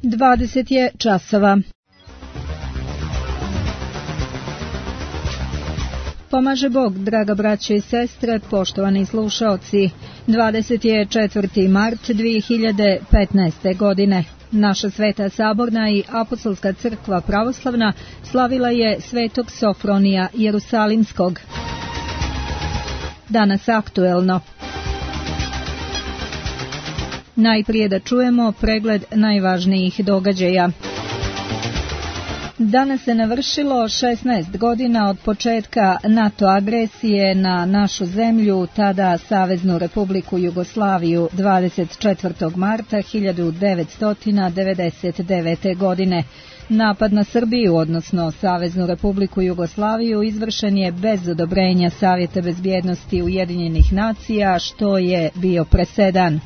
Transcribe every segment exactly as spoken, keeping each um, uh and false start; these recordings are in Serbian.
dvadeset je časova. Pomaže Bog, draga braće i sestre, poštovani slušaoci. dvadeset je četvrti mart dvije hiljade petnaeste. godine. Naša Sveta Saborna i Apostolska crkva pravoslavna slavila je Svetog Sofronija Jerusalimskog. Danas aktuelno. Najprije da čujemo pregled najvažnijih događaja. Danas se navršilo šesnaest godina od početka NATO agresije na našu zemlju, tada Saveznu Republiku Jugoslaviju, dvadeset četvrtog marta hiljadu devetsto devedeset devete. godine. Napad na Srbiju, odnosno Saveznu Republiku Jugoslaviju, izvršen je bez odobrenja Savjeta bezbjednosti Ujedinjenih nacija, što je bio presedan.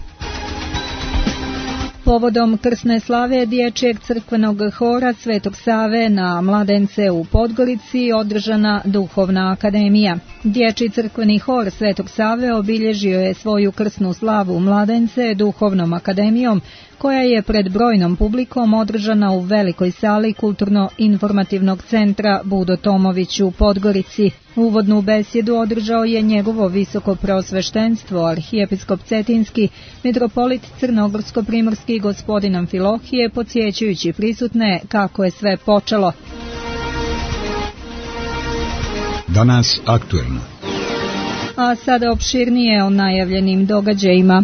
Povodom krsne slave Dječjeg crkvenog hora Svetog Save na Mladence u Podgorici održana Duhovna akademija. Dječji crkveni hor Svetog Save obilježio je svoju krsnu slavu Mladence Duhovnom akademijom, koja je pred brojnom publikom održana u velikoj sali Kulturno-informativnog centra Budo Tomović u Podgorici. Uvodnu besjedu održao je njegovo visoko preosveštenstvo, arhijepiskop Cetinski, mitropolit Crnogorsko-primorski gospodin Amfilohije, podsjećajući prisutne kako je sve počelo. Danas aktuelno. A sada opširnije o najavljenim događajima.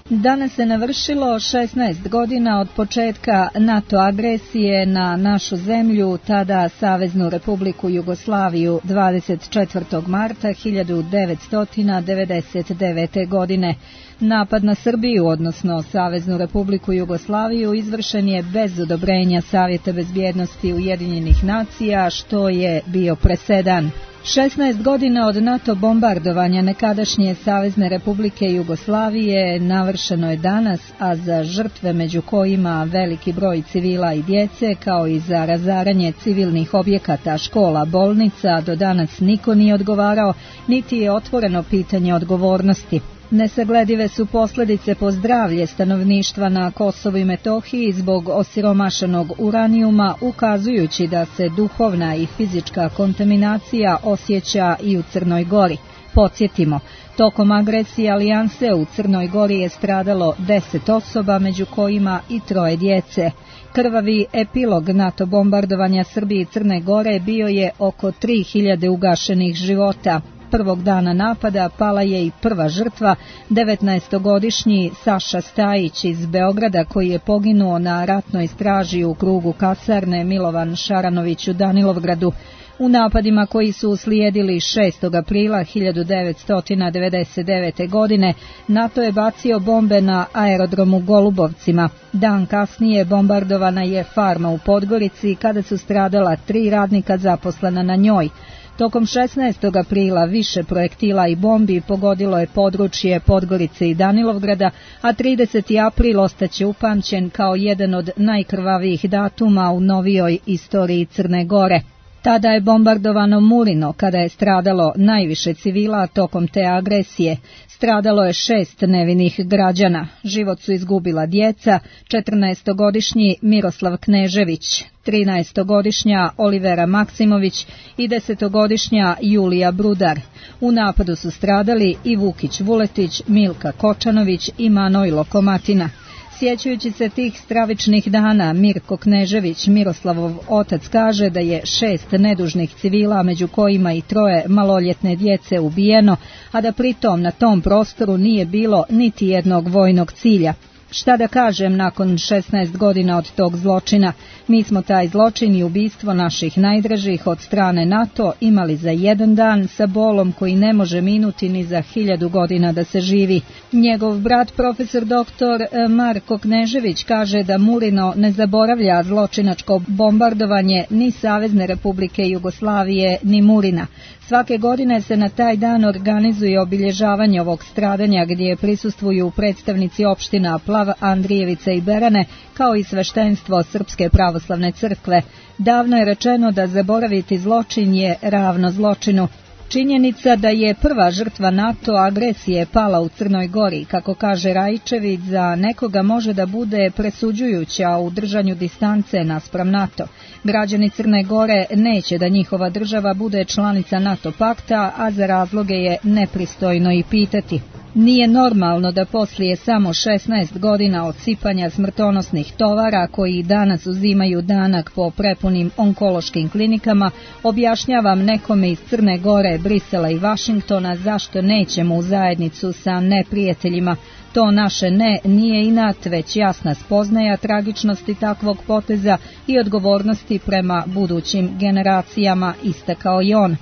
Danas se navršilo šesnaest godina od početka NATO agresije na našu zemlju, tada Saveznu Republiku Jugoslaviju, dvadeset četvrtog marta hiljadu devetsto devedeset devete. godine. Napad na Srbiju, odnosno Saveznu Republiku Jugoslaviju, izvršen je bez odobrenja Savjeta bezbjednosti Ujedinjenih nacija, što je bio presedan. šesnaest godina od NATO bombardovanja nekadašnje Savezne Republike Jugoslavije navršeno je danas, a za žrtve, među kojima veliki broj civila i djece, kao i za razaranje civilnih objekata, škola, bolnica, do danas niko nije odgovarao, niti je otvoreno pitanje odgovornosti. Nesagledive su posljedice po zdravlje stanovništva na Kosovu i Metohiji zbog osiromašenog uranijuma, ukazujući da se duhovna i fizička kontaminacija osjeća i u Crnoj Gori. Podsjetimo, tokom agresije alijanse u Crnoj Gori je stradalo deset osoba, među kojima i troje djece. Krvavi epilog NATO bombardovanja Srbije i Crne Gore bio je oko tri hiljade ugašenih života. Prvog dana napada pala je i prva žrtva, devetnaestogodišnji Saša Stajić iz Beograda, koji je poginuo na ratnoj straži u krugu kasarne Milovan Šaranović u Danilovgradu. U napadima koji su uslijedili šestog aprila hiljadu devetsto devedeset devete. godine NATO je bacio bombe na aerodromu Golubovcima. Dan kasnije bombardovana je farma u Podgorici kada su stradala tri radnika zaposlena na njoj. Tokom šesnaestog aprila više projektila i bombi pogodilo je područje Podgorice i Danilovgrada, a trideseti april ostaće upamćen kao jedan od najkrvavijih datuma u novijoj istoriji Crne Gore. Tada je bombardovano Mulino, kada je stradalo najviše civila tokom te agresije. Stradalo je šest nevinih građana. Život su izgubila djeca, četrnaestogodišnji Miroslav Knežević, trinaestogodišnja Olivera Maksimović i desetogodišnja Julija Brudar. U napadu su stradali i Vukić Vuletić, Milka Kočanović i Manojlo Komatina. Sjećajući se tih stravičnih dana, Mirko Knežević, Miroslavov otac, kaže da je šest nedužnih civila, među kojima i troje maloljetne djece, ubijeno, a da pritom na tom prostoru nije bilo niti jednog vojnog cilja. Šta da kažem nakon šesnaest godina od tog zločina? Mi smo taj zločin i ubistvo naših najdražih od strane NATO imali za jedan dan sa bolom koji ne može minuti ni za hiljadu godina da se živi. Njegov brat profesor doktor Marko Knežević kaže da Mulino ne zaboravlja zločinačko bombardovanje ni Savezne Republike Jugoslavije ni Mulina. Svake godine se na taj dan organizuje obilježavanje ovog stradanja gdje prisustvuju predstavnici opština Plav, Andrijevica i Berane, kao i sveštenstvo Srpske pravoslavne crkve. Davno je rečeno da zaboraviti zločin je ravno zločinu. Činjenica da je prva žrtva NATO agresije pala u Crnoj Gori, kako kaže Rajičević, za nekoga može da bude presuđujuća u držanju distance naspram NATO. Građani Crne Gore neće da njihova država bude članica NATO pakta, a za razloge je nepristojno i pitati. Nije normalno da poslije samo šesnaest godina od sipanja smrtonosnih tovara koji danas uzimaju danak po prepunim onkološkim klinikama, objašnjavam nekome iz Crne Gore, Brisela i Vašingtona zašto nećemo u zajednicu sa neprijateljima. To naše ne nije inat, već jasna spoznaja tragičnosti takvog poteza i odgovornosti prema budućim generacijama, istakao i on.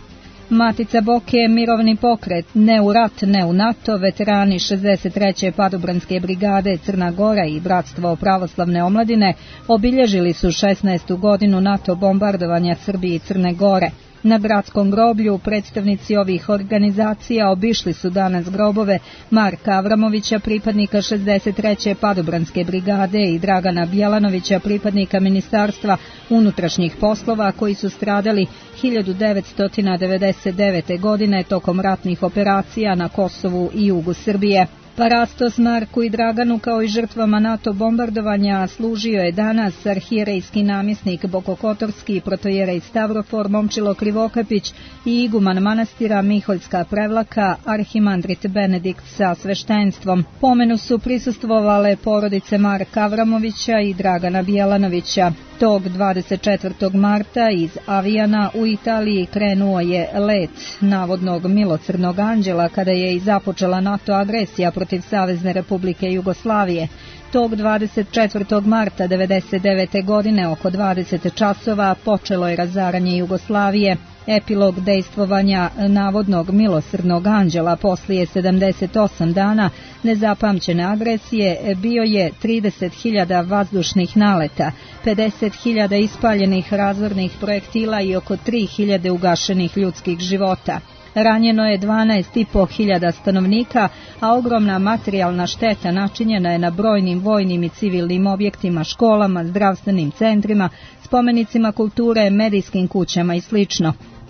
Matica Boke je mirovni pokret, ne u rat, ne u NATO, veterani šezdeset treće padobranske brigade Crna Gora i Bratstvo pravoslavne omladine obilježili su šesnaestu godinu NATO bombardovanja Srbije i Crne Gore. Na bratskom groblju predstavnici ovih organizacija obišli su danas grobove Marka Avramovića, pripadnika šezdeset treće padobranske brigade, i Dragana Bjelanovića, pripadnika Ministarstva unutrašnjih poslova, koji su stradali hiljadu devetsto devedeset devete. godine tokom ratnih operacija na Kosovu i jugu Srbije. Parastos Marku i Draganu, kao i žrtvama NATO bombardovanja, služio je danas arhijerejski namjesnik Bokokotorski, protojerej Stavrofor Momčilo Krivokapić i iguman manastira Miholjska Prevlaka, arhimandrit Benedikt sa sveštenstvom. Pomenu su prisustvovale porodice Marka Avramovića i Dragana Bjelanovića. Tog dvadeset četvrtog marta iz Avijana u Italiji krenuo je let navodnog milosrdnog anđela kada je i započela NATO agresija protiv Savezne Republike Jugoslavije. Tog dvadeset četvrtog marta devedeset devete. godine oko dvadeset časova počelo je razaranje Jugoslavije. Epilog dejstvovanja navodnog milosrdnog anđela poslije sedamdeset osam dana nezapamćene agresije bio je trideset hiljada vazdušnih naleta, pedeset hiljada ispaljenih razornih projektila i oko tri hiljade ugašenih ljudskih života. Ranjeno je dvanaest i po hiljada stanovnika, a ogromna materijalna šteta načinjena je na brojnim vojnim i civilnim objektima, školama, zdravstvenim centrima, spomenicima kulture, medijskim kućama i sl.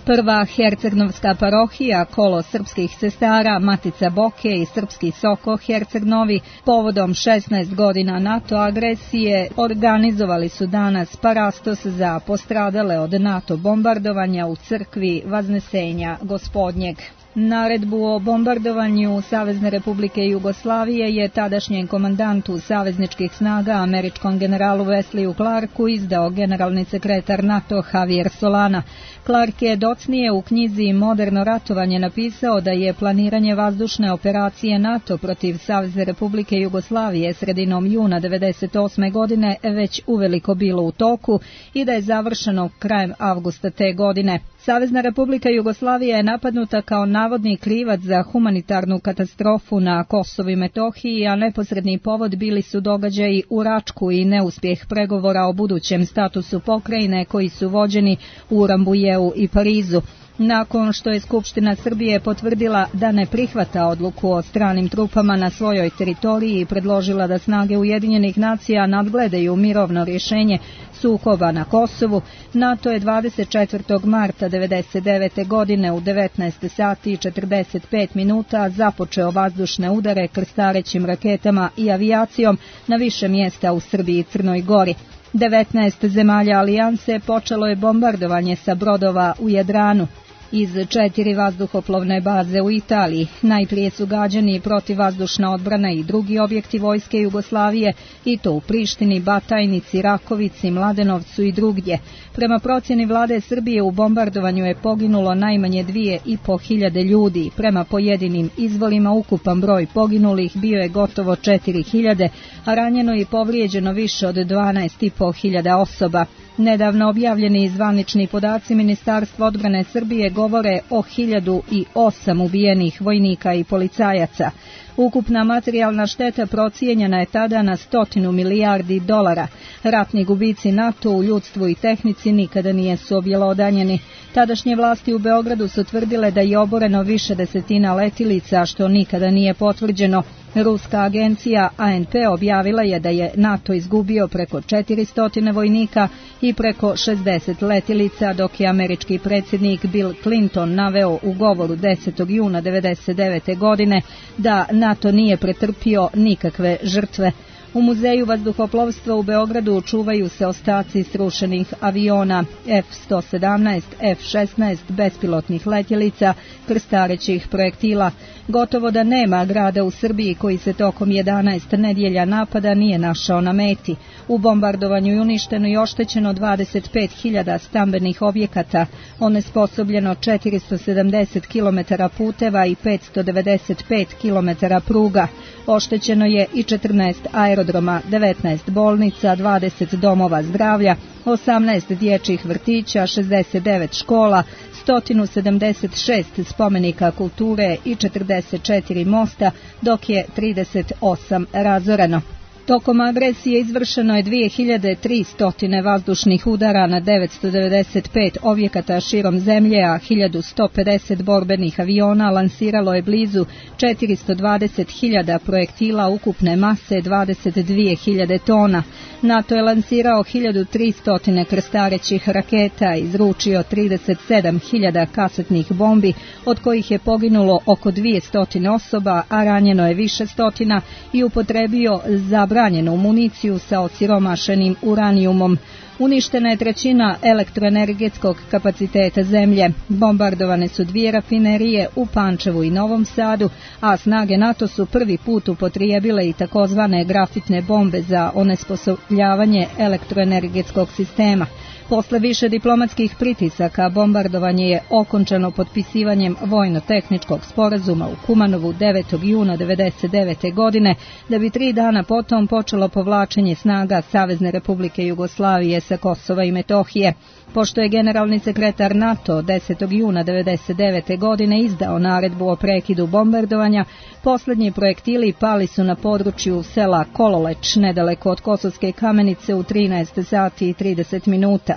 Prva hercegnovska parohija, kolo srpskih sestara, Matica Boke i srpski Soko Herceg Novi, povodom šesnaest godina NATO agresije, organizovali su danas parastos za postradale od NATO bombardovanja u crkvi Vaznesenja Gospodnjeg. Naredbu o bombardovanju Savezne Republike Jugoslavije je tadašnjem komandantu savezničkih snaga, američkom generalu Wesleyju Clarku, izdao generalni sekretar NATO Javier Solana. Clark je docnije u knjizi Moderno ratovanje napisao da je planiranje vazdušne operacije NATO protiv Savezne Republike Jugoslavije sredinom juna devedeset osme. godine već uveliko bilo u toku i da je završeno krajem avgusta te godine. Savezna Republika Jugoslavija je napadnuta kao navodni krivac za humanitarnu katastrofu na Kosovu i Metohiji, a neposredni povod bili su događaji u Račku i neuspjeh pregovora o budućem statusu pokrajine koji su vođeni u Rambujeu i Parizu. Nakon što je Skupština Srbije potvrdila da ne prihvata odluku o stranim trupama na svojoj teritoriji i predložila da snage Ujedinjenih nacija nadgledaju mirovno rješenje sukoba na Kosovu, NATO je dvadeset četvrtog marta devedeset devete. godine u devetnaest sati i četrdeset pet minuta započeo vazdušne udare krstarećim raketama i avijacijom na više mjesta u Srbiji i Crnoj Gori. devetnaest zemalja alijanse počelo je bombardovanje sa brodova u Jadranu. Iz četiri vazduhoplovne baze u Italiji najprije su gađani protivvazdušna odbrana i drugi objekti vojske Jugoslavije, i to u Prištini, Batajnici, Rakovici, Mladenovcu i drugdje. Prema procjeni vlade Srbije u bombardovanju je poginulo najmanje dvije i po hiljade ljudi. Prema pojedinim izvorima ukupan broj poginulih bio je gotovo četiri hiljade, a ranjeno i povrijeđeno više od dvanaest i po hiljada osoba. Nedavno objavljeni zvanični podaci Ministarstva odbrane Srbije govore o hiljadu osam ubijenih vojnika i policajaca. Ukupna materijalna šteta procijenjena je tada na stotinu milijardi dolara. Ratni gubici NATO u ljudstvu i tehnici nikada nijesu objelodanjeni. Tadašnje vlasti u Beogradu su tvrdile da je oboreno više desetina letilica, što nikada nije potvrđeno. Ruska agencija A N P objavila je da je NATO izgubio preko četiristo vojnika i preko šezdeset letilica, dok je američki predsjednik Bill Clinton naveo u govoru desetog juna devedeset devete. godine da NATO nije pretrpio nikakve žrtve. U Muzeju vazduhoplovstva u Beogradu čuvaju se ostaci srušenih aviona F sto sedamnaest, F šesnaest, bespilotnih letjelica, krstarećih projektila. Gotovo da nema grada u Srbiji koji se tokom jedanaest nedjelja napada nije našao na meti. U bombardovanju je uništeno i oštećeno dvadeset pet hiljada stambenih objekata, onesposobljeno četiristo sedamdeset kilometara puteva i petsto devedeset pet kilometara pruga. Oštećeno je i četrnaest aerodroma, devetnaest bolnica, dvadeset domova zdravlja, osamnaest dječjih vrtića, šezdeset devet škola, sto sedamdeset šest spomenika kulture i četrdeset četiri mosta, dok je trideset osam razoreno. Tokom agresije izvršeno je dvije hiljade tristo vazdušnih udara na devetsto devedeset pet objekata širom zemlje, a hiljadu sto pedeset borbenih aviona lansiralo je blizu četiristo dvadeset hiljada projektila ukupne mase dvadeset dvije hiljade tona. NATO je lansirao hiljadu tristo krstarećih raketa, izručio trideset sedam hiljada kasetnih bombi, od kojih je poginulo oko dvjesto osoba, a ranjeno je više stotina, i upotrebio zabranjenu municiju sa osiromašenim uranijumom. Uništena je trećina elektroenergetskog kapaciteta zemlje. Bombardovane su dvije rafinerije u Pančevu i Novom Sadu, a snage NATO su prvi put upotrijebile i takozvane grafitne bombe za onesposobljavanje elektroenergetskog sistema. Posle više diplomatskih pritisaka, bombardovanje je okončano potpisivanjem vojno-tehničkog sporazuma u Kumanovu devetog juna devedeset devete. godine, da bi tri dana potom počelo povlačenje snaga Savezne Republike Jugoslavije sa Kosova i Metohije. Pošto je generalni sekretar NATO desetog juna devedeset devete. godine izdao naredbu o prekidu bombardovanja, posljednji projektili pali su na području sela Kololeć, nedaleko od Kosovske Kamenice, u trinaest sati i trideset minuta.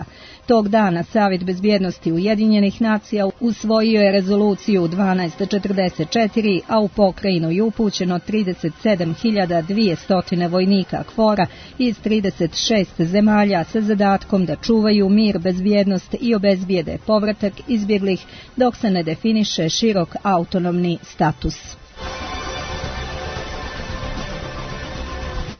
Tog dana Savjet bezbjednosti Ujedinjenih nacija usvojio je rezoluciju dvanaest četrdeset četiri, a u pokrajinu je upućeno trideset sedam hiljada dvjesto vojnika KFOR-a iz trideset šest zemalja sa zadatkom da čuvaju mir, bezbjednost i obezbijede povratak izbjeglih dok se ne definiše širok autonomni status.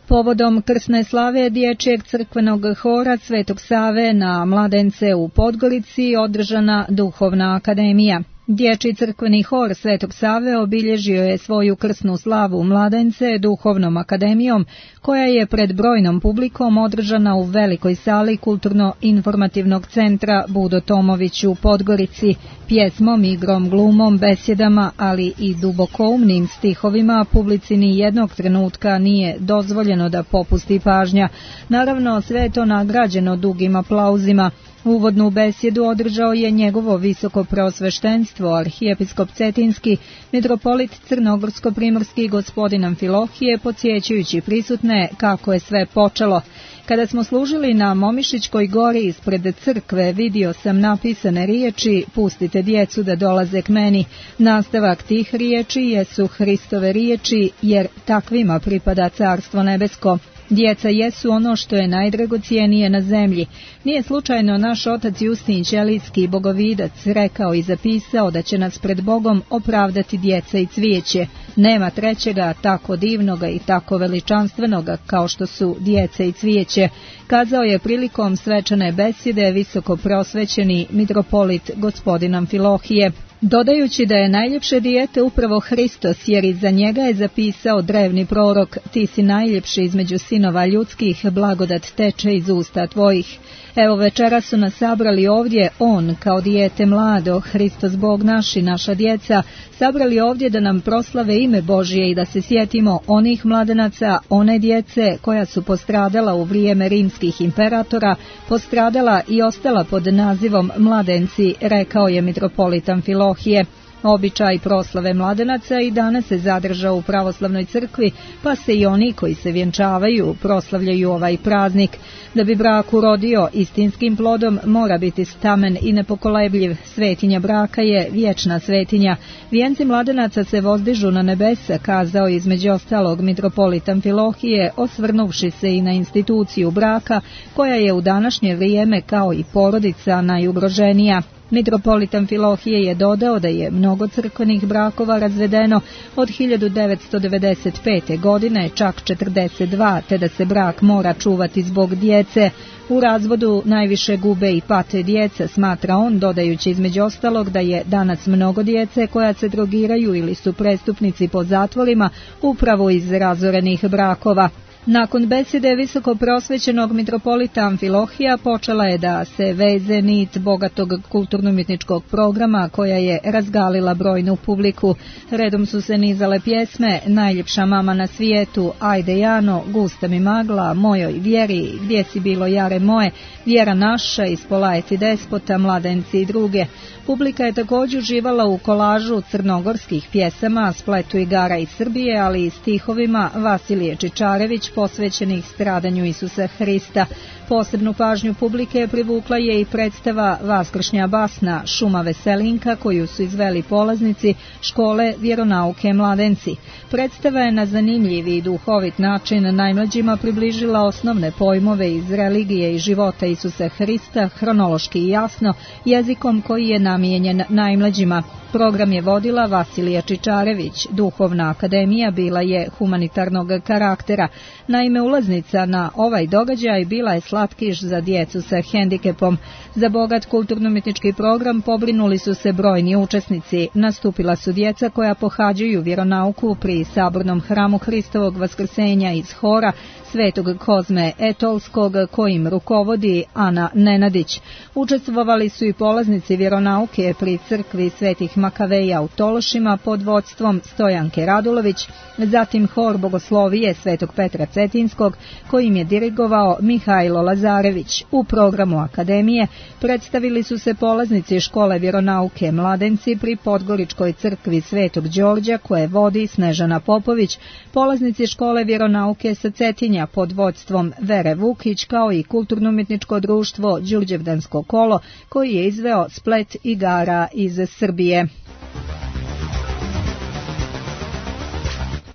Povodom krsne slave dječjeg crkvenog hora Svetog Save na Mladence u Podgorici održana duhovna akademija. Dječji crkveni hor Svetog Save obilježio je svoju krsnu slavu Mladence duhovnom akademijom, koja je pred brojnom publikom održana u velikoj sali Kulturno-informativnog centra Budo Tomović u Podgorici, pjesmom, igrom, glumom, besjedama, ali i dubokoumnim stihovima. Publici ni jednog trenutka nije dozvoljeno da popusti pažnja. Naravno, sve je to nagrađeno dugim aplauzima. Uvodnu besjedu održao je njegovo visoko preosveštenstvo, arhijepiskop Cetinski, mitropolit Crnogorsko-primorski gospodin Amfilohije, podsjećajući prisutne kako je sve počelo. Kada smo služili na Momišićkoj gori ispred crkve, vidio sam napisane riječi: pustite djecu da dolaze k meni. Nastavak tih riječi jesu Hristove riječi, jer takvima pripada Carstvo nebesko. Djeca jesu ono što je najdragocijenije na zemlji. Nije slučajno naš otac Justin Ćelijski, bogovidac, rekao i zapisao da će nas pred Bogom opravdati djeca i cvijeće. Nema trećega tako divnoga i tako veličanstvenoga kao što su djeca i cvijeće, kazao je prilikom svečane besjede visoko prosvećeni mitropolit gospodin Amfilohije, dodajući da je najljepše dijete upravo Hristos, jer iza njega je zapisao drevni prorok: ti si najljepši između sinova ljudskih, blagodat teče iz usta tvojih. Evo, večera su nas sabrali ovdje, on kao dijete mlado, Hristos Bog naš i naša djeca, sabrali ovdje da nam proslave ime Božije i da se sjetimo onih mladenaca, one djece koja su postradala u vrijeme rimskih imperatora, postradala i ostala pod nazivom mladenci, rekao je mitropolit Amfilohije. Običaj proslave mladenaca i danas se zadržao u pravoslavnoj crkvi, pa se i oni koji se vjenčavaju proslavljaju ovaj praznik. Da bi brak urodio istinskim plodom, mora biti stamen i nepokolebljiv. Svetinja braka je vječna svetinja. Vijenci mladenaca se vozdižu na nebesa, kazao između ostalog mitropolit Amfilohije, osvrnuvši se i na instituciju braka, koja je u današnje vrijeme kao i porodica najugroženija. Mitropolit Amfilohije je dodao da je mnogo crkvenih brakova razvedeno od hiljadu devetsto devedeset pete. godine, čak četrdeset dva, te da se brak mora čuvati zbog djece. U razvodu najviše gube i pate djeca, smatra on, dodajući između ostalog da je danas mnogo djece koja se drogiraju ili su prestupnici po zatvorima upravo iz razorenih brakova. Nakon besede visoko prosvećenog mitropolita Amfilohija počela je da se veze nit bogatog kulturno-umjetničkog programa koja je razgalila brojnu publiku. Redom su se nizale pjesme Najljepša mama na svijetu, Ajde Jano, Gusta mi magla, Mojoj vjeri, Gdje si bilo jare moje, Vjera naša, Ispolajeti despota, Mladenci i druge. Publika je također uživala u kolažu crnogorskih pjesama, spletu igara iz Srbije, ali i stihovima Vasilije Čičarević posvećenih stradanju Isusa Hrista. Posebnu pažnju publike privukla je i predstava Vaskršnja basna Šuma veselinka koju su izveli polaznici škole vjeronauke Mladenci. Predstava je na zanimljiv i duhovit način najmlađima približila osnovne pojmove iz religije i života Isusa Hrista, hronološki i jasno, jezikom koji je namijenjen najmlađima. Program je vodila Vasilija Čičarević. Duhovna akademija bila je humanitarnog karaktera. Naime, ulaznica na ovaj događaj bila je slatkiš za djecu sa hendikepom. Za bogat kulturno-umjetnički program pobrinuli su se brojni učesnici. Nastupila su djeca koja pohađaju vjeronauku pri sabornom hramu Hristovog vaskrsenja iz hora Svetog Kozme Etolskog, kojim rukovodi Ana Nenadić. Učestvovali su i polaznici vjeronauke pri crkvi Svetih Makaveja u Tološima pod vodstvom Stojanke Radulović, zatim hor bogoslovije Svetog Petra Cetinskog, kojim je dirigovao Mihajlo Lazarević. U programu akademije predstavili su se polaznici škole vjeronauke Mladenci pri Podgoričkoj crkvi Svetog Đorđa, koje vodi Snežana Popović, polaznici škole vjeronauke sa Cetinja pod vodstvom Vere Vukić, kao i kulturno-umjetničko društvo Đurđevdansko kolo, koji je izveo splet igara iz Srbije.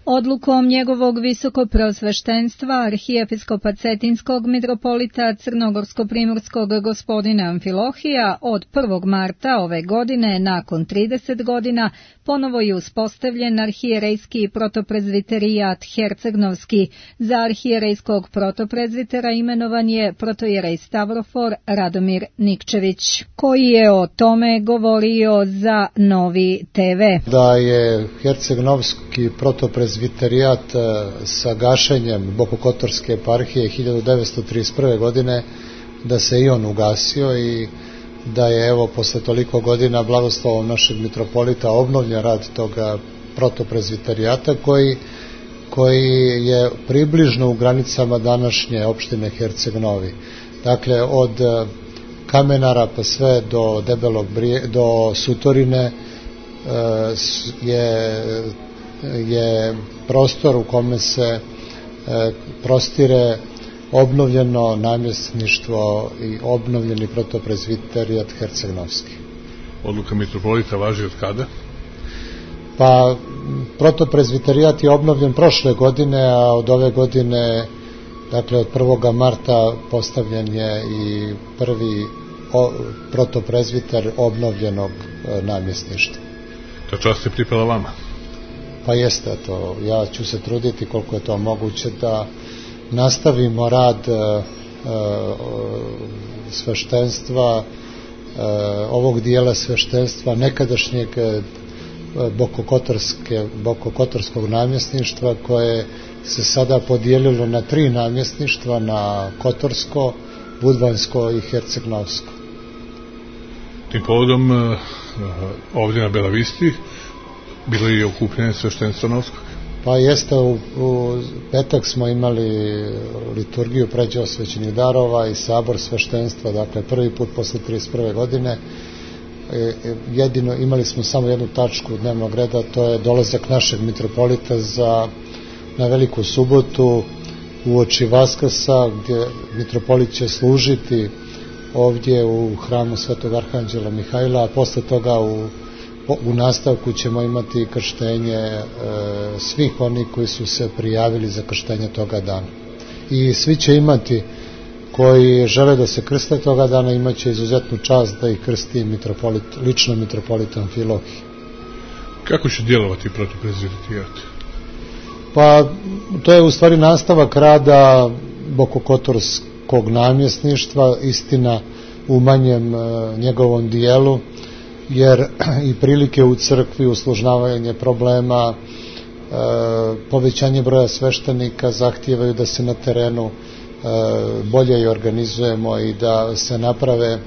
Odlukom njegovog visokopreosveštenstva arhijepiskopa Cetinskog mitropolita Crnogorsko-primorskog gospodina Amfilohija od prvog marta ove godine, nakon trideset godina, ponovo je uspostavljen arhijerejski protoprezviterijat Hercegnovski. Za arhijerejskog protoprezvitera imenovan je protojerej Stavrofor Radomir Nikčević, koji je o tome govorio za Novi te ve. Da je Hercegnovski protoprezviterijat sa gašenjem Bokokotorske eparhije hiljadu devetsto trideset prve. godine, da se i on ugasio i da je evo posle toliko godina blagoslovom našeg mitropolita obnovljen rad toga protoprezviterijata koji, koji je približno u granicama današnje opštine Herceg-Novi. Dakle, od Kamenara pa sve do Debelog Brije, do Sutorine je je prostor u kome se e, prostire obnovljeno namjesništvo i obnovljeni protoprezviterijat Hercegnovski. Odluka mitropolita važi od kada? Pa, protoprezviterijat je obnovljen prošle godine, a od ove godine, dakle od prvog marta, postavljen je i prvi o, protoprezviter obnovljenog e, namjesništva. Ta čast je pripala vama? Pa jeste to, ja ću se truditi koliko je to moguće da nastavimo rad e, e, sveštenstva, e, ovog dijela sveštenstva nekadašnjeg e, Bokokotorske, Bokokotorskog namjesništva, koje se sada podijelilo na tri namjesništva, na Kotorsko, Budvansko i Hercegnovsko. Tim povodom e, ovdje na Belavisti bilo je i okupljanje sveštenstva Novskog? Pa jeste, u, u petak smo imali liturgiju pređe osvećenih darova i sabor sveštenstva, dakle prvi put posle trideset prve. godine, jedino imali smo samo jednu tačku dnevnog reda, to je dolazak našeg mitropolita za, na Veliku subotu uoči Vaskrsa, gdje mitropolit će služiti ovdje u hramu Svetog Arhanđela Mihajla, a posle toga u, u nastavku ćemo imati krštenje e, svih onih koji su se prijavili za krštenje toga dana. I svi će imati, koji žele da se krste toga dana, imaće izuzetnu čast da ih krsti mitropolit, lično mitropolit Amfilohije. Kako će djelovati protiv prezviterijata? Pa to je u stvari nastavak rada Bokokotorskog namjesništva, istina u manjem e, njegovom dijelu, jer i prilike u crkvi, uslužnavanje problema, e, povećanje broja sveštenika zahtijevaju da se na terenu e, bolje i organizujemo i da se naprave, e,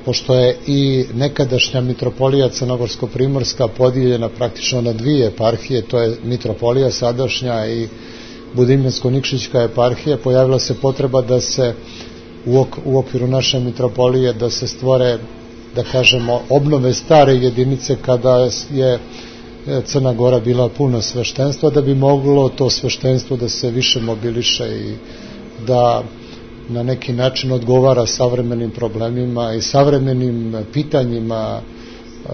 pošto je i nekadašnja mitropolija Crnogorsko-Primorska podijeljena praktično na dvije eparhije, to je mitropolija sadašnja i Budimljansko-Nikšićka eparhija, pojavila se potreba da se u, ok, u okviru naše mitropolije da se stvore, da kažemo, obnove stare jedinice kada je Crna Gora bila puno sveštenstva, da bi moglo to sveštenstvo da se više mobiliše i da na neki način odgovara savremenim problemima i savremenim pitanjima uh,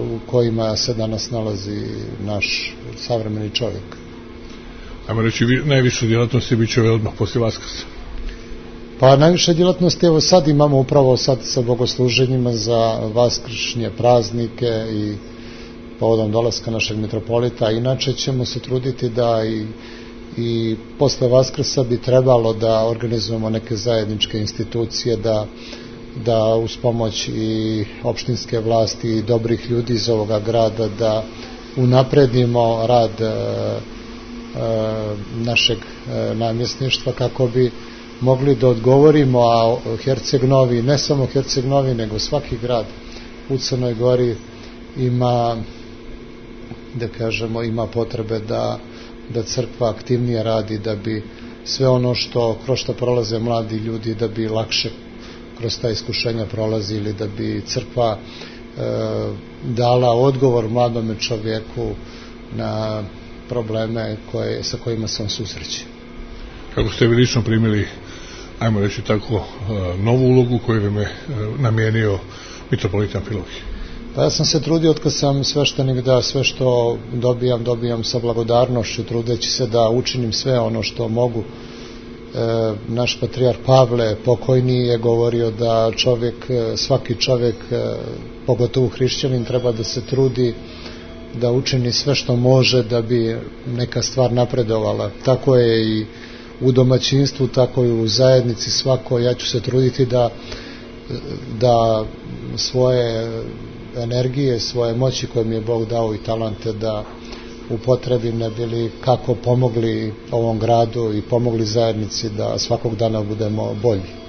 u kojima se danas nalazi naš savremeni čovjek. Ajmo reći, najviše djelatnosti bit će odmah poslije Vaskrsa. Pa najviše djelatnosti evo sad imamo upravo sad sa bogosluženjima za vaskršnje praznike i povodom dolaska našeg mitropolita. Inače ćemo se truditi da i, i posle Vaskrsa bi trebalo da organizujemo neke zajedničke institucije, da, da uz pomoć i opštinske vlasti i dobrih ljudi iz ovoga grada da unapredimo rad e, e, našeg e, namjesništva kako bi mogli da odgovorimo, a Herceg Novi, ne samo Herceg Novi, nego svaki grad u Crnoj Gori ima, da kažemo, ima potrebe da, da crkva aktivnije radi, da bi sve ono što kroz što prolaze mladi ljudi, da bi lakše kroz ta iskušenja prolazili, da bi crkva e, dala odgovor mladome čovjeku na probleme koje, sa kojima se on susreće. Kako ste vi lično primili, ajmo reći tako, novu ulogu koju vam je namijenio mitropolit Amfilohije? Pa ja sam se trudio od kad sam sveštenik da sve što dobijam, dobijam sa blagodarnošću, trudeći se da učinim sve ono što mogu. E, naš patrijarh Pavle pokojni je govorio da čovjek, svaki čovjek, pogotovo hrišćanin, treba da se trudi da učini sve što može da bi neka stvar napredovala. Tako je i u domaćinstvu, tako i u zajednici svako. Ja ću se truditi da, da svoje energije, svoje moći koje mi je Bog dao i talante da upotrebim, ne bili kako pomogli ovom gradu i pomogli zajednici da svakog dana budemo bolji.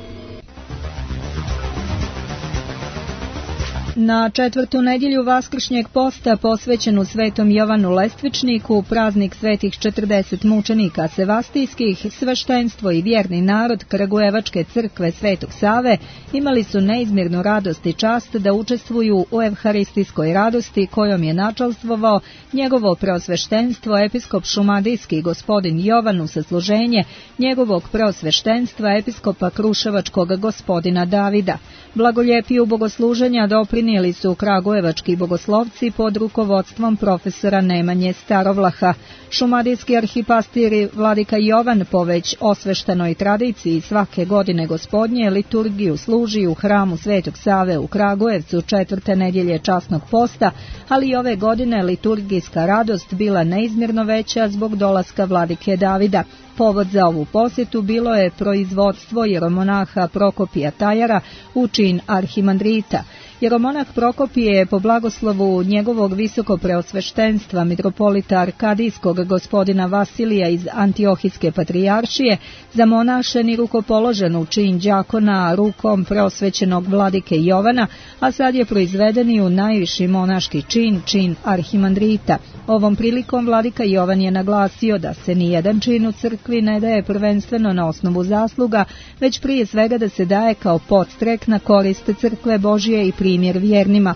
Na četvrtu nedjelju vaskršnjeg posta posvećenu Svetom Jovanu Lestvičniku, praznik svetih četrdeset mučenika sevastijskih, sveštenstvo i vjerni narod Kragujevačke crkve Svetog Save imali su neizmjernu radost i čast da učestvuju u evharistijskoj radosti kojom je načalstvovao njegovo preosveštenstvo episkop šumadijski gospodin Jovan u sasluženje njegovog preosveštenstva episkopa kruševačkog gospodina Davida. Blagoljepiju bogosluženja doprinijeli su kragujevački bogoslovci pod rukovodstvom profesora Nemanje Starovlaha. Šumadijski arhipastiri vladika Jovan po već osveštenoj tradiciji svake godine gospodnje liturgiju služi u hramu Svetog Save u Kragujevcu četvrte nedjelje časnog posta, ali i ove godine liturgijska radost bila neizmjerno veća zbog dolaska vladike Davida. Povod za ovu posjetu bilo je proizvodstvo jeromonaha Prokopija Tajara u čin arhimandrita. Jeromonah Prokopije je po blagoslovu njegovog visoko preosveštenstva mitropolita Arkadijskog gospodina Vasilija iz Antiohijske patrijaršije zamonašen i rukopoložen u čin đakona rukom preosvećenog vladike Jovana, a sad je proizveden i u najviši monaški čin, čin arhimandrita. Ovom prilikom vladika Jovan je naglasio da se nijedan čin u crkvi ne daje prvenstveno na osnovu zasluga, već prije svega da se daje kao podstrek na korist crkve Božije i primjer vjernima.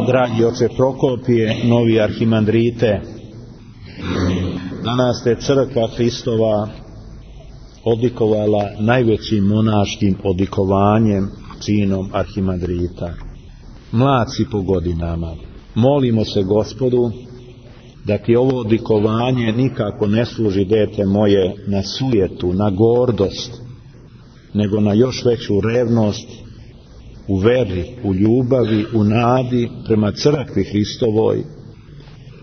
Dragi oče Prokopije, novi arhimandrite, danas te crkva Hristova odlikovala najvećim monaškim odlikovanjem, činom arhimandrita. Mlad si po godinama, molimo se Gospodu da ti ovo odlikovanje nikako ne služi, dete moje, na sujetu, na gordost, nego na još veću revnost u veri, u ljubavi, u nadi prema crkvi Hristovoj,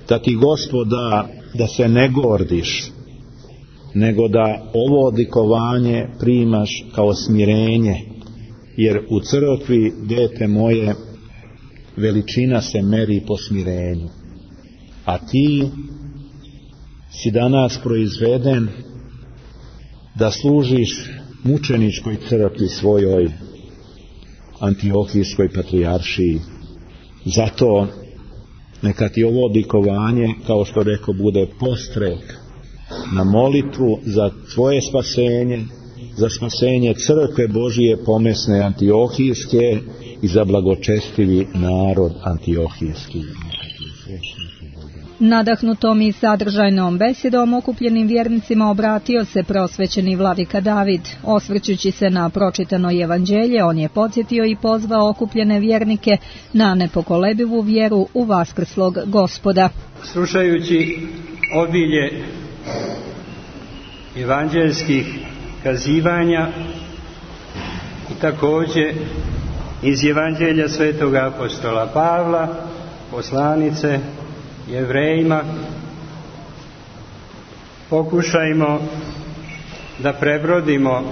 da ti Gospod da, da se ne gordiš, nego da ovo odlikovanje primaš kao smirenje, jer u crkvi, dete moje, veličina se meri po smirenju. A ti si danas proizveden da služiš mučeničkoj crkvi svojoj, Antiohijskoj patrijaršiji. Zato neka ti ovo odlikovanje, kao što rekao, bude postrek na molitvu za tvoje spasenje, za spasenje crkve Božije pomesne Antiohijske i za blagočestivi narod Antiohijski. Nadahnutom i sadržajnom besedom okupljenim vjernicima obratio se prosvećeni vladika David. Osvrćući se na pročitano evanđelje, on je podsjetio i pozvao okupljene vjernike na nepokolebivu vjeru u vaskrslog Gospoda. Slušajući obilje evanđelskih kazivanja i također iz evanđelja svetog apostola Pavla, poslanice Jevrejima, pokušajmo da prebrodimo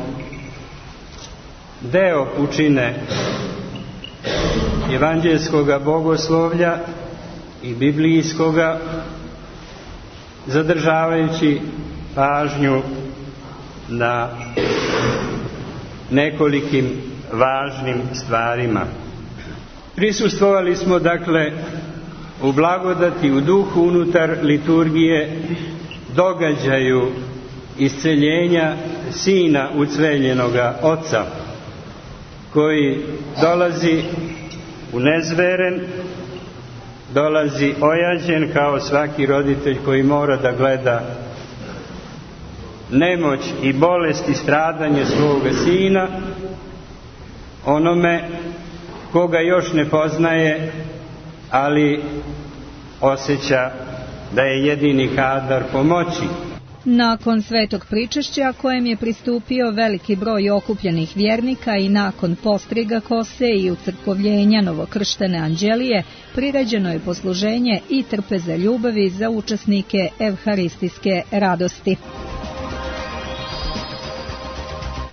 deo pučine evanđelskoga bogoslovlja i biblijskoga, zadržavajući pažnju na nekolikim važnim stvarima. Prisustvovali smo dakle u blagodati, u duhu unutar liturgije događaju isceljenja sina ucveljenoga oca, koji dolazi unezveren, dolazi ojađen kao svaki roditelj koji mora da gleda nemoć i bolest i stradanje svoga sina, onome koga još ne poznaje, ali osjeća da je jedini kadar pomoći. Nakon svetog pričešća, kojem je pristupio veliki broj okupljenih vjernika, i nakon postriga kose i ucrkovljenja novokrštene anđelije, priređeno je posluženje i trpeza ljubavi za učesnike evharistijske radosti.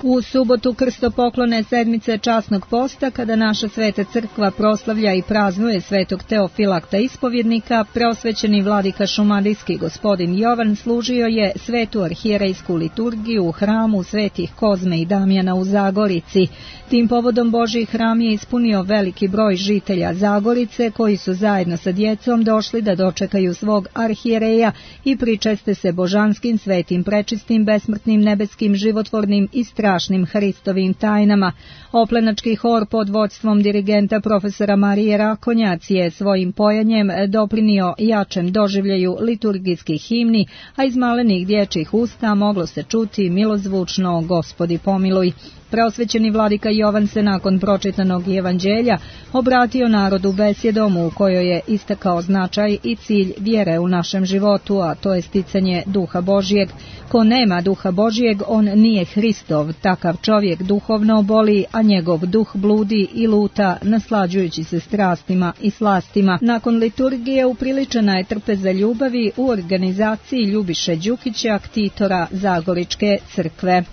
U subotu krstopoklone sedmice časnog posta, kada naša sveta crkva proslavlja i praznuje svetog Teofilakta ispovjednika, preosvećeni vladika šumadijski gospodin Jovan služio je svetu arhijerejsku liturgiju u hramu svetih Kozme i Damjana u Zagorici. Tim povodom Božji hram je ispunio veliki broj žitelja Zagorice, koji su zajedno sa djecom došli da dočekaju svog arhijereja i pričeste se božanskim, svetim, prečistim, besmrtnim, nebeskim, životvornim i strašnim Hristovim tajnama. Oplenački hor pod vodstvom dirigenta profesora Marije Rakonjac je svojim pojanjem doprinio jačem doživljaju liturgijskih himni, a iz malenih dječjih usta moglo se čuti milozvučno Gospodi pomiluj. Preosvećeni vladika Jovan se nakon pročitanog evanđelja obratio narodu besjedom u kojoj je istakao značaj i cilj vjere u našem životu, a to je sticanje duha Božijeg. Ko nema duha Božijeg, on nije Hristov. Takav čovjek duhovno boli, a njegov duh bludi i luta, naslađujući se strastima i slastima. Nakon liturgije upriličena je trpeza ljubavi u organizaciji Ljubiše Đukića, ktitora Zagoričke crkve.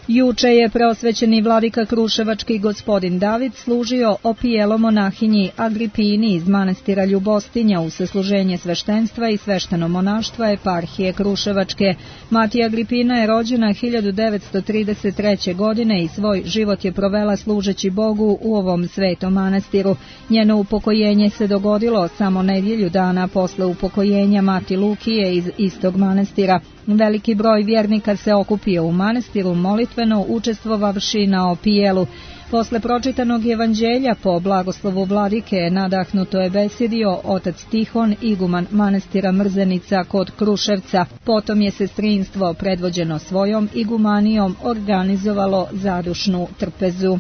Juče je preosvećeni vladika kruševački gospodin David služio opijelo monahinji Agripini iz manastira Ljubostinja u sasluženje sveštenstva i svešteno monaštva eparhije Kruševačke. Mati Agripina je rođena hiljadu devetsto trideset treće. godine i svoj život je provela služeći Bogu u ovom svetom manastiru. Njeno upokojenje se dogodilo samo nedjelju dana posle upokojenja mati Lukije iz istog manastira. Veliki broj vjernika se okupio u manastiru molitveno učestvovavši na opijelu. Posle pročitanog evanđelja po blagoslovu vladike nadahnuto je besjedio otac Tihon, iguman manastira Mrzenica kod Kruševca. Potom je sestrinstvo predvođeno svojom igumanijom organizovalo zadušnu trpezu.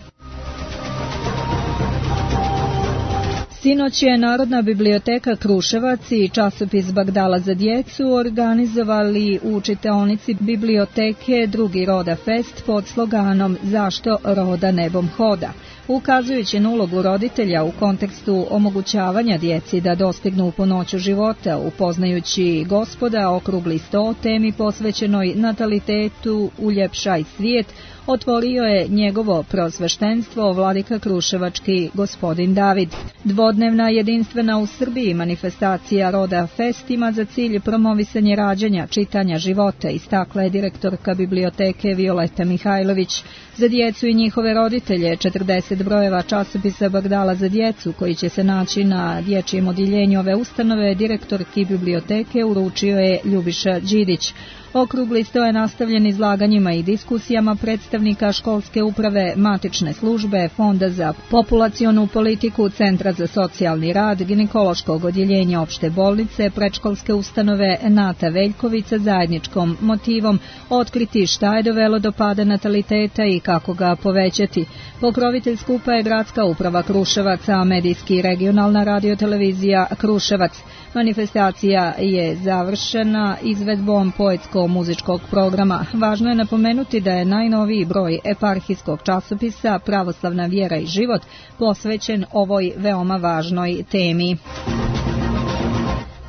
Sinoć je Narodna biblioteka Kruševac i časopis Bagdala za djecu organizovali u čitaonici biblioteke Drugi Roda Fest pod sloganom Zašto roda nebom hoda, ukazujući na ulogu roditelja u kontekstu omogućavanja djeci da dostignu punoću života, upoznajući Gospoda okrugli sto temi posvećenoj natalitetu Uljepšaj svijet, otvorio je njegovo prosveštenstvo vladika kruševački gospodin David. Dvodnevna jedinstvena u Srbiji manifestacija Roda Fest ima za cilj promovisanje rađanja, čitanja života, istakla je direktorka biblioteke Violeta Mihajlović. Za djecu i njihove roditelje četrdeset brojeva časopisa Bagdala za djecu koji će se naći na dječjem odjeljenju ove ustanove direktorki biblioteke uručio je Ljubiša Đidić. Okrugli sto je nastavljen izlaganjima i diskusijama predstavnika školske uprave, matične službe, Fonda za populacionu politiku, Centra za socijalni rad, ginekološkog odjeljenja opšte bolnice, predškolske ustanove Nata Veljkovica zajedničkom motivom otkriti šta je dovelo do pada nataliteta i kako ga povećati. Pokrovitelj skupa je gradska uprava Kruševac, a medijski regionalna radiotelevizija Kruševac. Manifestacija je završena izvedbom poetsko-muzičkog programa. Važno je napomenuti da je najnoviji broj eparhijskog časopisa Pravoslavna vjera i život posvećen ovoj veoma važnoj temi.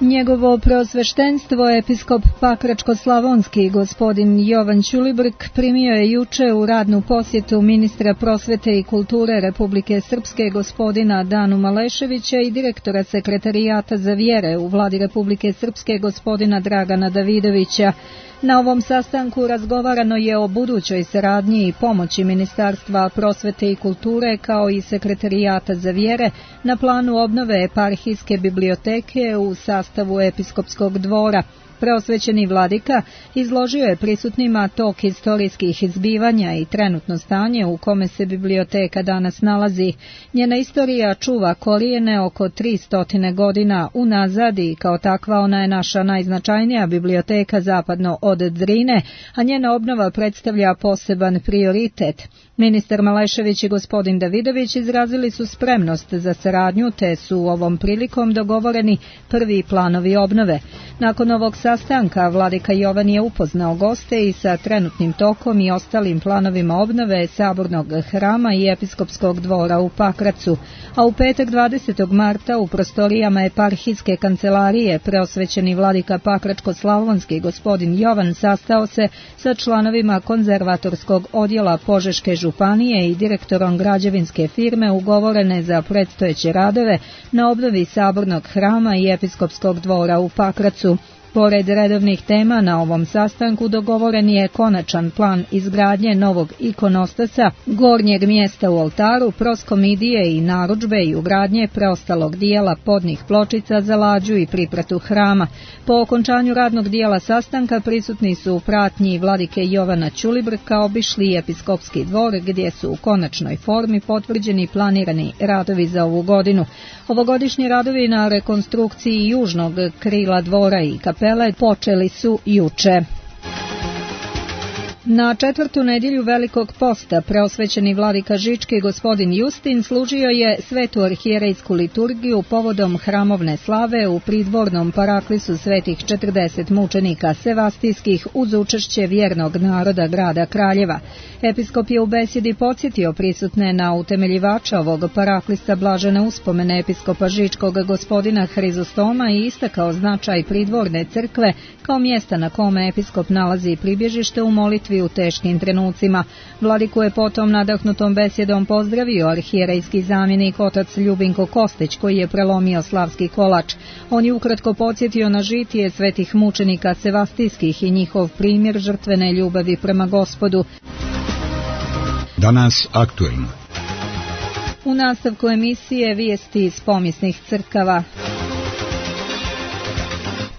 Njegovo preosveštenstvo episkop Pakračko-slavonski gospodin Jovan Ćulibrk primio je juče u radnu posjetu ministra prosvete i kulture Republike Srpske gospodina Danu Maleševića i direktora sekretarijata za vjere u vladi Republike Srpske gospodina Dragana Davidovića. Na ovom sastanku razgovarano je o budućoj saradnji i pomoći Ministarstva prosvete i kulture kao i sekretarijata za vjere na planu obnove eparhijske biblioteke u sastavu episkopskog dvora. Preosvećeni vladika izložio je prisutnima tok historijskih izbivanja i trenutno stanje u kome se biblioteka danas nalazi. Njena istorija čuva korijene oko tristo godina unazad i kao takva ona je naša najznačajnija biblioteka zapadno od Drine, a njena obnova predstavlja poseban prioritet. Ministar Malešević i gospodin Davidović izrazili su spremnost za saradnju, te su ovom prilikom dogovoreni prvi planovi obnove. Nakon ovog sastanka vladika Jovan je upoznao goste i sa trenutnim tokom i ostalim planovima obnove Sabornog hrama i episkopskog dvora u Pakracu, a u petak dvadesetog marta u prostorijama eparhijske kancelarije preosvećeni vladika Pakračko-slavonski gospodin Jovan sastao se sa članovima konzervatorskog odjela Požeške županije i direktorom građevinske firme ugovorene za predstojeće radove na obnovi Sabornog hrama i episkopskog dvora u Pakracu. Pored redovnih tema na ovom sastanku dogovoren je konačan plan izgradnje novog ikonostasa, gornjeg mjesta u oltaru, proskomidije i narudžbe i ugradnje preostalog dijela podnih pločica za lađu i pripratu hrama. Po okončanju radnog dijela sastanka prisutni su u pratnji vladike Jovana Ćulibrka obišli episkopski dvor gdje su u konačnoj formi potvrđeni planirani radovi za ovu godinu. Ovogodišnji radovi na rekonstrukciji južnog krila dvora i kapele počeli su juče. Na četvrtu nedjelju Velikog posta preosvećeni vladika Žički gospodin Justin služio je svetu arhijerejsku liturgiju povodom hramovne slave u pridvornom paraklisu svetih četrdeset mučenika sevastijskih uz učešće vjernog naroda grada Kraljeva. Episkop je u besjedi podsjetio prisutne na utemeljivača ovog paraklisa blažene uspomene episkopa Žičkog gospodina Hrizostoma i istakao značaj pridvorne crkve kao mjesta na kome episkop nalazi pribježište u molitvi crkvi u teškim trenucima. Vladiku je potom nadahnutom besjedom pozdravio arhijerejski zamjenik otac Ljubinko Kostić, koji je prelomio slavski kolač. On je ukratko podsjetio na žitije svetih mučenika sevastijskih i njihov primjer žrtvene ljubavi prema Gospodu. Danas aktuelno. U nastavku emisije vijesti iz pomisnih crkava.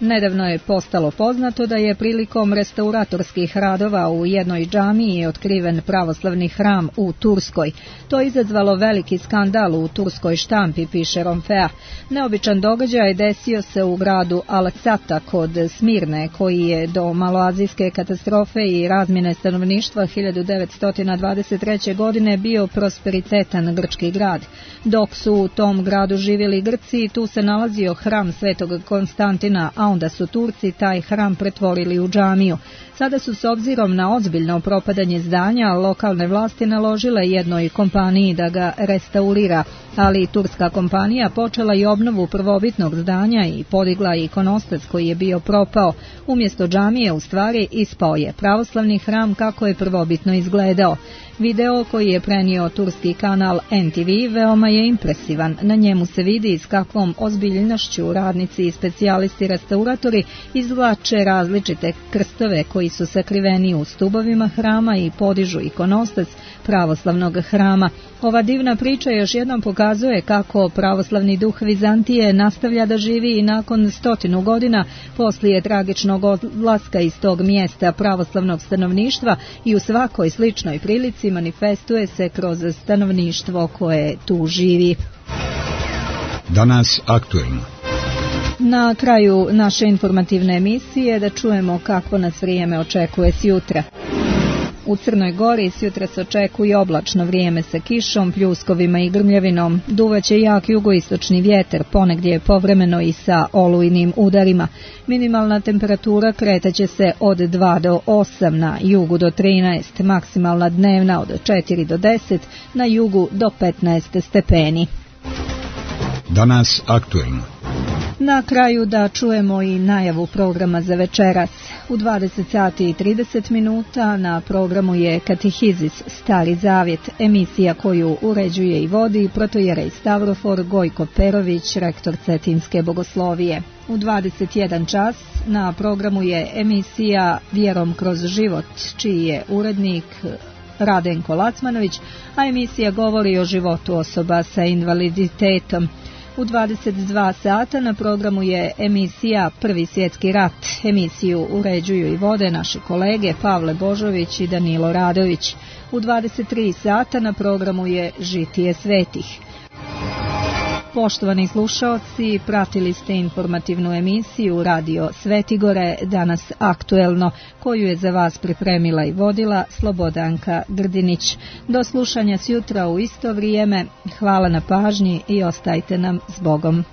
Nedavno je postalo poznato da je prilikom restauratorskih radova u jednoj džamiji otkriven pravoslavni hram u Turskoj. To je izazvalo veliki skandal u turskoj štampi, piše Romfea. Neobičan događaj desio se u gradu Al-Sata kod Smirne, koji je do maloazijske katastrofe i razmjene stanovništva hiljadu devetsto dvadeset treće. godine bio prosperitetan grčki grad. Dok su u tom gradu živjeli Grci, tu se nalazio hram Svetog Konstantina, a onda su Turci taj hram pretvorili u džamiju. Sada su s obzirom na ozbiljno propadanje zdanja lokalne vlasti naložile jednoj kompaniji da ga restaurira, ali turska kompanija počela i obnovu prvobitnog zdanja i podigla ikonostas koji je bio propao. Umjesto džamije u stvari ispao je pravoslavni hram kako je prvobitno izgledao. Video koji je prenio turski kanal N T V veoma je impresivan. Na njemu se vidi s kakvom ozbiljnošću radnici i specijalisti restauratori izvlače različite krstove koji su sakriveni u stubovima hrama i podižu ikonostas pravoslavnog hrama. Ova divna priča još jednom pokazuje kako pravoslavni duh Vizantije nastavlja da živi i nakon stotinu godina poslije tragičnog odlaska iz tog mjesta pravoslavnog stanovništva i u svakoj sličnoj prilici manifestuje se kroz stanovništvo koje tu živi. Danas aktuelno. Na kraju naše informativne emisije da čujemo kakvo nas vrijeme očekuje sjutra. U Crnoj Gori sjutra se očekuje oblačno vrijeme sa kišom, pljuskovima i grmljavinom. Duvaće jak jugoistočni vjetar, ponegdje povremeno i sa olujnim udarima. Minimalna temperatura kretaće se od dva do osam, na jugu do trinaest, maksimalna dnevna od četiri do deset, na jugu do petnaest stepeni. Danas aktuelno. Na kraju da čujemo i najavu programa za večeras. U dvadeset sati i trideset minuta na programu je Katehizis Stari Zavjet, emisija koju uređuje i vodi protojerej Stavrofor Gojko Perović, rektor Cetinske bogoslovije. U dvadeset jedan čas na programu je emisija Vjerom kroz život, čiji je urednik Radenko Lacmanović, a emisija govori o životu osoba sa invaliditetom. U dvadeset dva sata na programu je emisija Prvi svjetski rat. Emisiju uređuju i vode naši kolege Pavle Božović i Danilo Radović. U dvadeset tri sata na programu je Žitije svetih. Poštovani slušaoci, pratili ste informativnu emisiju Radio Svetigore, danas aktuelno, koju je za vas pripremila i vodila Slobodanka Grdinić. Do slušanja sjutra u isto vrijeme, hvala na pažnji i ostajte nam s Bogom.